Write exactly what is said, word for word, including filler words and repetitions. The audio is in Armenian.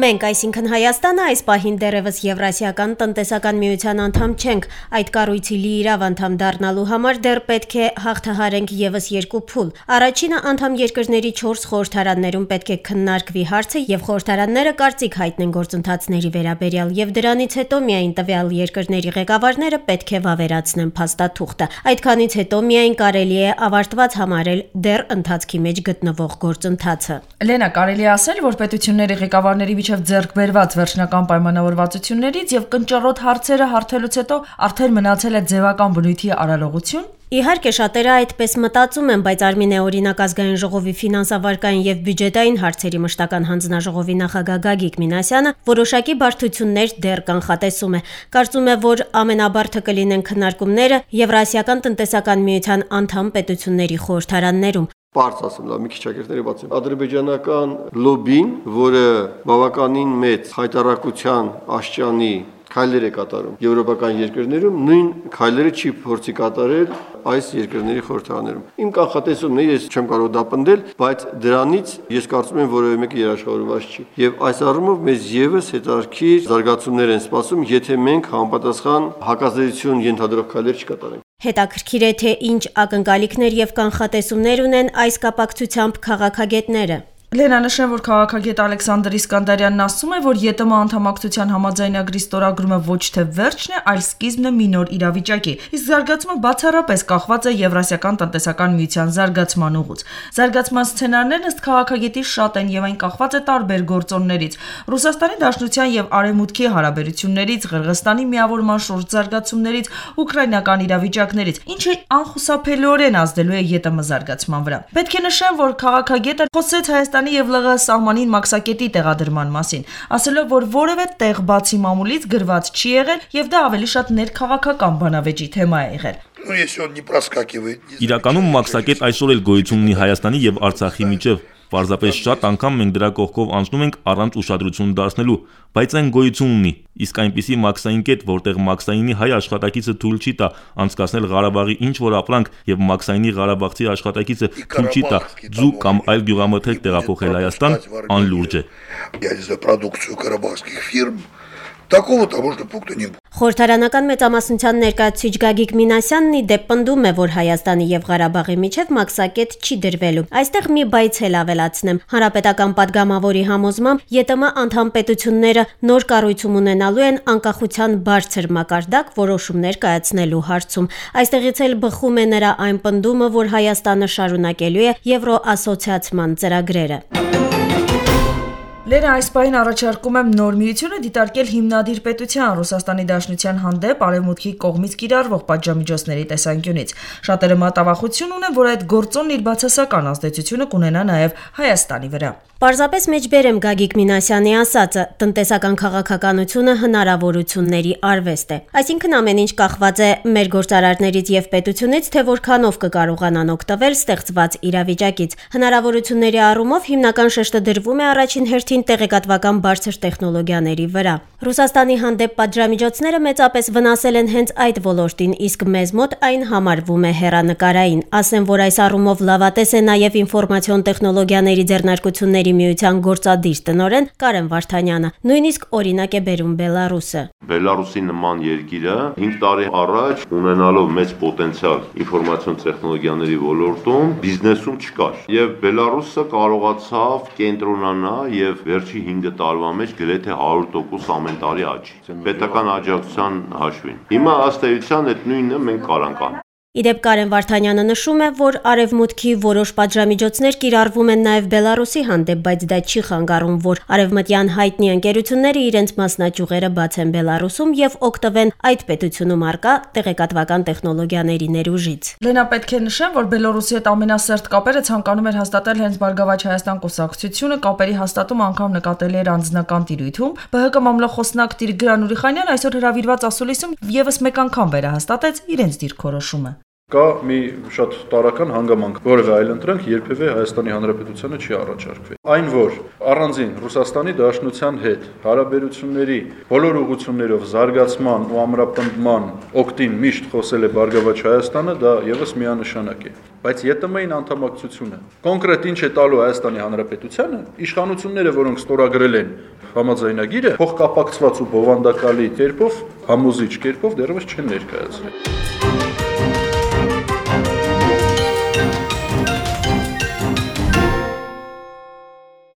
Մենք, այսինքն Հայաստանը, այս պահին դեռևս Եվրասիական տնտեսական միության անդամ չենք, այդ կառույցի լիիրավ անդամ դառնալու համար դեռ պետք է հաղթահարենք ևս երկու փուլ։ Առաջինը անդամ երկրների չորս խորհրդարաններում պետք է քննարկվի հարցը եւ խորհրդարանները կարծիք հայտնեն գործընթացների վերաբերյալ եւ դրանից հետո միայն տվյալ երկրների ղեկավարները պետք է վավերացնեն փաստաթուղթը։ Այդքանից հետո միայն կարելի է ավարտված համարել դեռ ընթացքի մեջ գտնվող գործընթացը։ Լենա, կարելի է ասել, որ պետությունների ղեկավարների միջև ձեռք բերված վերջնական պայմանավորվածություններից եւ կնճռոտ հարցերը հարթելուց հետո արդեն մնացել է ձևական բնույթի արարողություն։ Իհարկե շատերը այդպես մտածում են, բայց Արմինե օրինակ ազգային ժողովի ֆինանսավարկային եւ բյուջետային հարցերի մշտական հանձնաժողովի նախագահ Գագիկ Մինասյանը որոշակի բարդություններ դեռ կանխատեսում է։ Կարծում է, որ ամենաբարդը կլինեն քննարկումները Եվրասիական տնտեսական միության անդամ պետությունների խորհրդարաններում։ Պարզ ասեմ, լավ մի քիչ ակերտների բացեմ։ Ադրբեջանական լոբին, որը բավականին մեծ հայտարարության աշճանի քայլեր է կատարում եվրոպական երկրներում, նույն քայլերը չի փորձի կատարել այս երկրների խորհրդարաններում։ Իմ կանխատեսումն է, ես չեմ կարող դա պնդել, բայց դրանից ես կարծում եմ որևէ մեկը երաշխավորված չի։ Եվ այս առումով մեզ եւս հետարքիր զարգացումներ են սպասում, եթե մենք համապատասխան հակազդեցություն ենթադրող քայլեր չկատարենք։ Հետաքրքիր է, թե ինչ ակնկալիքներ եւ կանխատեսումներ ունեն այս կապակցությամբ քաղաքագետները։ Լենա, նշեմ, որ քաղաքագետ Ալեքսանդր Իսկանդարյանն ասում է, որ ԵՏՄ անդամակցության համաձայնագրի ստորագրումը ոչ թե վերջն է, այլ սկիզբն է մի նոր իրավիճակի։ Իսկ զարգացումը բացառապես կախված է Եվրասիական տնտեսական միության զարգացման ուղուց։ Զարգացման սցենարներն ըստ քաղաքագետի շատ են եւ այն կախված է տարբեր գործոններից՝ Ռուսաստանի Դաշնության եւ Արևմուտքի հարաբերություններից, Ղրղստանի միավորման շուրջ զարգացումներից, ուկրաինական իրավիճակներից, ինչը անխուսափելիորեն ազդելու է ԵՏՄ զարգացման վրա։ Պետք է նշեմ, որ քաղաքագետը խոսեց Հայաստանի եւ ԼՂՀ սահմանին մաքսակետի տեղադրման մասին, ասելով, որ որևէ տեղ բացի մամուլից գրված չի եղել եւ դա ավելի շատ ներքաղաքական բանավեճի թեմա է եղել։ Իրականում մաքսակետ այսօր էլ գոյություն ունի Հայաստանի եւ Արցախի միջև։ Պարզապես շատ անգամ մենք դրա կողքով անցնում ենք առանց ուշադրություն դարձնելու, բայց այն գոյություն ունի։ Իսկ այնպիսի մաքսային կետ, որտեղ մաքսայինի հայ աշխատակիցը թույլ չի տա անցկացնել Ղարաբաղի ինչ որ ապրանք եւ մաքսայինի ղարաբաղցի աշխատակիցը թույլ չի տա ձու կամ այլ գյուղամթերք տեղափոխել Հայաստան, անլուրջ է։ Խորհրդարանական մեծամասնության ներկայացուցիչ Գագիկ Մինասյանն ի դեպ պնդում է, որ Հայաստանի եւ Ղարաբաղի միջև մաքսակետ չի դրվելու։ Այստեղ մի բայց էլ ավելացնեմ։ Հանրապետական падգամավորի համոզմամբ ԵՏՄ անդամ պետությունները նոր կառույցում ունենալու են անկախության բարձր մակարդակ որոշումներ կայացնելու հարցում։ Այստեղից էլ բխում է նրա այն պնդումը, որ Հայաստանը շարունակելու է Եվրոասոցիացման ծրագրերը։ Լենա, այս պահին առաջարկում եմ նոր միությունը դիտարկել հիմնադիր պետության Ռուսաստանի Դաշնության հանդեպ Արևմուտքի կողմից կիրառվող պատժամիջոցների տեսանկյունից։ Շատերը մտավախություն ունեն, որ այդ գործոնն իր բացասական ազդեցությունը կունենա նաև Հայաստանի վրա։ Պարզապես մեջբերեմ Գագիկ Մինասյանի ասածը, տնտեսական քաղաքականությունը հնարավորությունների արվեստ է։ Այսինքն ամեն ինչ կախված է մեր գործարարներից եւ պետությունից, թե որքանով կկարողանան օգտվել ստեղծված իրավիճակից։ Հնարավորությունների առումով հիմնական շեշտը դրվում է առաջին հերթին տեղեկատվական բարձր տեխնոլոգիաների վրա։ Ռուսաստանի հանդեպ պատժամիջոցները մեծապես վնասել են հենց այդ ոլորտին, իսկ մեզ մոտ այն համարվում է հեռանկարային։ Ասեմ, որ այս առումով լավատես է նաև ինֆորմացիոն տեխնոլոգիաների ձեռնարկությունների միության գործադիր տնօրեն Կարեն Վարդանյանը, նույնիսկ օրինակ է բերում Բելարուսը։ Բելարուսի նման երկիրը հինգ տարի առաջ ունենալով մեծ պոտենցիալ ինֆորմացիոն տեխնոլոգիաների ոլորտում բիզնեսում չկար, եւ Բելարուսը կարողացավ կենտրոնանալ եւ վերջի հինգ տարվա մեջ գրեթե հարյուր տոկոս ամեն տարի աճի պետական աջակցության հաշվին։ Հիմա ըստ էության այդ նույնը մենք կարանք անենք։ Իդեպ Կարեն Վարդանյանը նշում է, որ Արևմուտքի որոշ պատժամիջոցներ կիրառվում են նաև Բելարուսի հանդեպ, բայց դա չի խանգարում, որ արևմտյան հայտնի ընկերությունները իրենց մասնաճյուղերը բացեն Բելարուսում եւ օգտվեն այդ պետությունում առկա տեղեկատվական տեխնոլոգիաների ներուժից։ Լենա, պետք է նշեմ, որ Բելարուսի հետ ամենասերտ կապերը ցանկանում էր հաստատել հենց Բարգավաճ Հայաստան կուսակցությունը, կապերի հաստատում անգամ նկատելի էր անձնական տիրույթում։ ԲՀԿ մամլոխոսնակ Տիգրան Ուրիխանյանը այսօր հրավիրված ասուլիսում եւս մեկ անգամ վերահաստատեց իրենց դիրքորոշումը։ Կա մի շատ տարական հանգամանք, որևէ այլ ընտրանք երբևէ Հայաստանի Հանրապետությանը չի առաջարկվել։ Այն, որ առանձին Ռուսաստանի Դաշնության հետ հարաբերությունների բոլոր ուղղություններով զարգացման ու ամրապնդման օգտին միշտ խոսել է Բարգավաճ Հայաստանը, դա եւս միանշանակ է։ Բայց ԵՏՄ-ին անդամակցությունը կոնկրետ ինչ է տալու Հայաստանի Հանրապետությանը, իշխանությունները, որոնք ստորագրել են համաձայնագիրը, փոխկապակցված ու բովանդակալի կերպով, համոզիչ կերպով դեռևս չեն ներկայացրել։